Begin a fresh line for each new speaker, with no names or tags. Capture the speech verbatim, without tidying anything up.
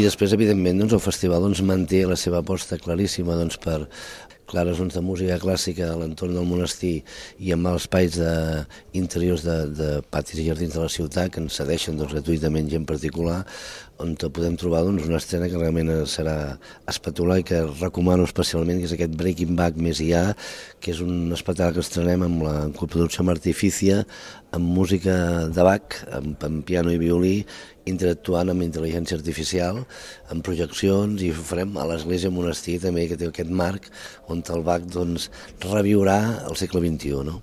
I després, evidentment, doncs, el festival doncs, manté la seva aposta claríssima doncs, per clares zones de música clàssica a l'entorn del monestir i amb els espais de, interiors de, de patis i jardins de la ciutat que ens cedeixen doncs, gratuïtament gent particular, on podem trobar doncs, una estrena que realment serà espectacular i que recomano especialment, que és aquest Breaking Back més I A, que és un espectacle que estrenem amb la coproducció amb Artificia, amb música de Bach, amb, amb piano i violí, interactuant amb intel·ligència artificial, amb projeccions, i ho farem a l'església monestir també, que té aquest marc on el Bach doncs, reviurà el segle vint-i-u. No?